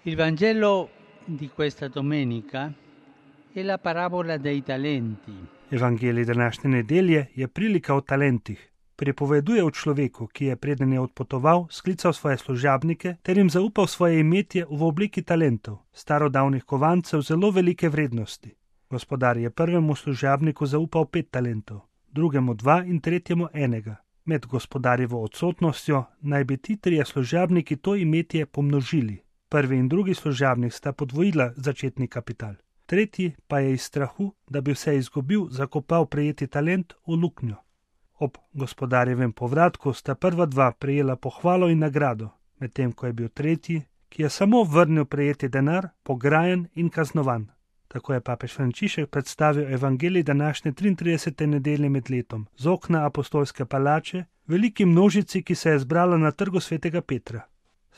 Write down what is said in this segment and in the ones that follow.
Il Vangelo di questa domenica è la parabola dei talenti. Evangelij današnje nedelje je prilika o talentih. Pripoveduje o človeku, ki je preden je odpotoval, sklical svoje služabnike ter jim zaupal svoje imetje v obliki talentov, starodavnih kovancev zelo velike vrednosti. Gospodar je prvemu služabniku zaupal 5 talentov, drugemu 2 in tretjemu 1. Med gospodarjevo odsotnostjo naj bi ti 3 služabniki to imetje pomnožili. Prvi in drugi služabnik sta podvojila začetni kapital. Tretji pa je iz strahu, da bi vse izgubil, zakopal prejeti talent v luknjo. Ob gospodarjevem povratku sta prva 2 prejela pohvalo in nagrado, medtem ko je bil tretji, ki je samo vrnil prejeti denar, pograjen in kaznovan. Tako je papež Frančišek predstavil evangelij današnje 33. nedelje med letom z okna apostolske palače, veliki množici, ki se je zbrala na trgu svetega Petra.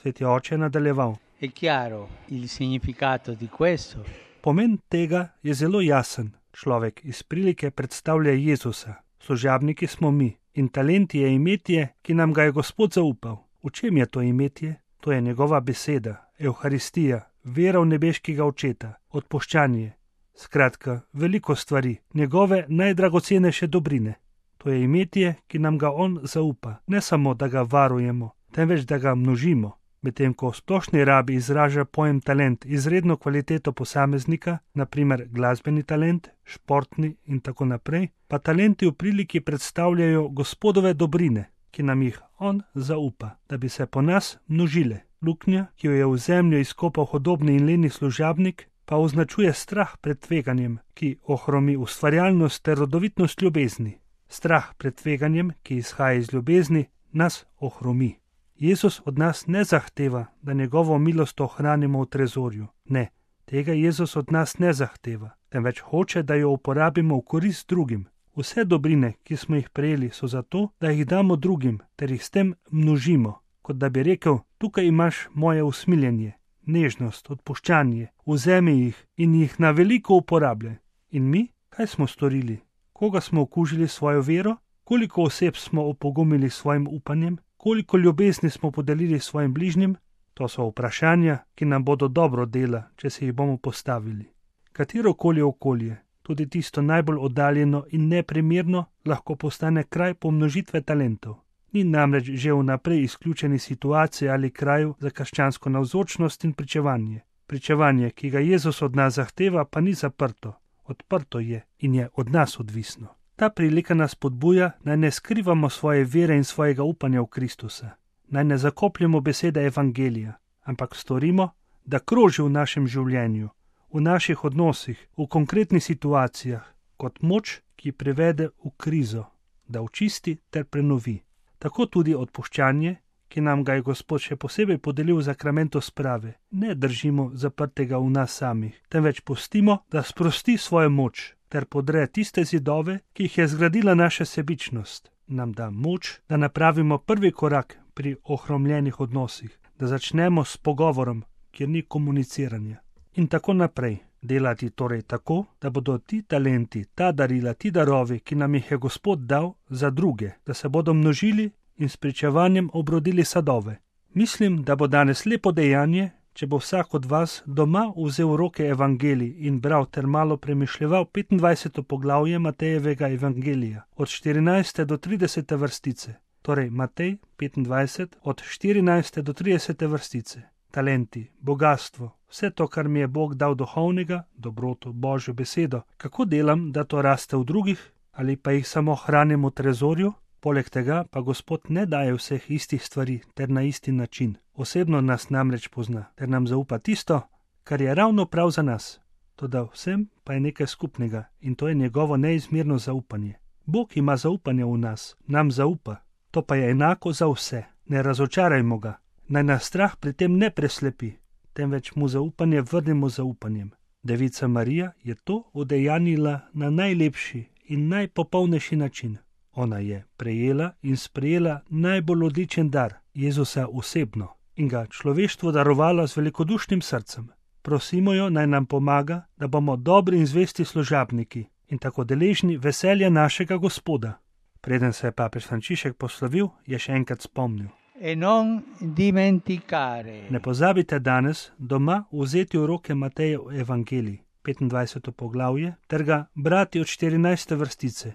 Sveti oče je nadaljeval. È chiaro il significato di questo. Pomen tega je zelo jasen. Človek iz prilike predstavlja Jezusa. Služabniki smo mi in talent je imetje, ki nam ga je Gospod zaupal. V čem je to imetje? To je njegova beseda, Evharistija, vera v nebeškega očeta, odpuščanje. Skratka, veliko stvari, njegove najdragocenejše dobrine. To je imetje, ki nam ga on zaupa. Ne samo, da ga varujemo, temveč da ga množimo. Medtem ko v splošni rabi izraža pojem talent izredno kvaliteto posameznika, naprimer glasbeni talent, športni in tako naprej, pa talenti v priliki predstavljajo Gospodove dobrine, ki nam jih on zaupa, da bi se po nas množile. Luknja, ki jo je v zemljo izkopal hudobni in leni služabnik, pa označuje strah pred tveganjem, ki ohromi ustvarjalnost ter rodovitnost ljubezni. Strah pred tveganjem, ki izhaja iz ljubezni, nas ohromi. Jezus od nas ne zahteva, da njegovo milost ohranimo v trezorju. Ne, tega Jezus od nas ne zahteva, temveč hoče, da jo uporabimo v korist drugim. Vse dobrine, ki smo jih prejeli, so zato, da jih damo drugim, ter jih s tem množimo, kot da bi rekel, tukaj imaš moje usmiljenje, nežnost, odpuščanje, vzemi jih in jih na veliko uporabljaj. In mi, kaj smo storili? Koga smo okužili svojo vero? Koliko oseb smo opogumili svojim upanjem? Koliko ljubezni smo podelili svojim bližnjim? To so vprašanja, ki nam bodo dobro dela, če se jih bomo postavili. Katerokoli okolje, tudi tisto najbolj oddaljeno in neprimerno, lahko postane kraj pomnožitve talentov. Ni namreč že vnaprej izključeni situacije ali kraju za krščansko navzočnost in pričevanje. Pričevanje, ki ga Jezus od nas zahteva, pa ni zaprto. Odprto je in je od nas odvisno. Ta prilika nas podbuja, naj ne skrivamo svoje vere in svojega upanja v Kristusa. Naj ne zakopljamo besede evangelija, ampak storimo, da kroži v našem življenju, v naših odnosih, v konkretnih situacijah, kot moč, ki privede v krizo, da očisti ter prenovi. Tako tudi odpuščanje, ki nam ga je Gospod še posebej podelil v sakramentu sprave, ne držimo zaprtega v nas samih, temveč pustimo, da sprosti svojo moč, ter podre tiste zidove, ki jih je zgradila naša sebičnost. Nam da moč, da napravimo prvi korak pri ohromljenih odnosih, da začnemo s pogovorom, kjer ni komuniciranja. In tako naprej. Delati torej tako, da bodo ti talenti, ta darila, ti darovi, ki nam jih je Gospod dal, za druge, da se bodo množili in s pričevanjem obrodili sadove. Mislim, da bo danes lepo dejanje, če bo vsak od vas doma vzel v roke evangelij in bral ter malo premišljeval 25. poglavje Matejevega evangelija, od 14. do 30. vrstice. Torej Matej 25, od 14. do 30. vrstice. Talenti, bogastvo, vse to, kar mi je Bog dal duhovnega, dobroto, Božjo besedo. Kako delam, da to raste v drugih, ali pa jih samo hranim v trezorju? Poleg tega pa Gospod ne daje vseh istih stvari ter na isti način. Osebno nas namreč pozna, ter nam zaupa tisto, kar je ravno prav za nas. Toda vsem pa je nekaj skupnega in to je njegovo neizmerno zaupanje. Bog ima zaupanje v nas, nam zaupa. To pa je enako za vse. Ne razočarajmo ga. Naj nas strah pri tem ne preslepi, temveč mu zaupanje vrnemo zaupanjem. Devica Marija je to udejanila na najlepši in najpopolnejši način. Ona je prejela in sprejela najbolj odličen dar, Jezusa osebno, in ga človeštvu darovala z velikodušnim srcem. Prosimo jo, naj nam pomaga, da bomo dobri in zvesti služabniki in tako deležni veselja našega Gospoda. Preden se je papež Frančišek poslovil, je še enkrat spomnil. E non dimenticare. Ne pozabite danes doma vzeti v roke Matejev evangelij, 25. poglavje, ter ga brati od 14. vrstice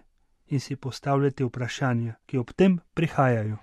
in si postavljati vprašanja, ki ob tem prihajajo.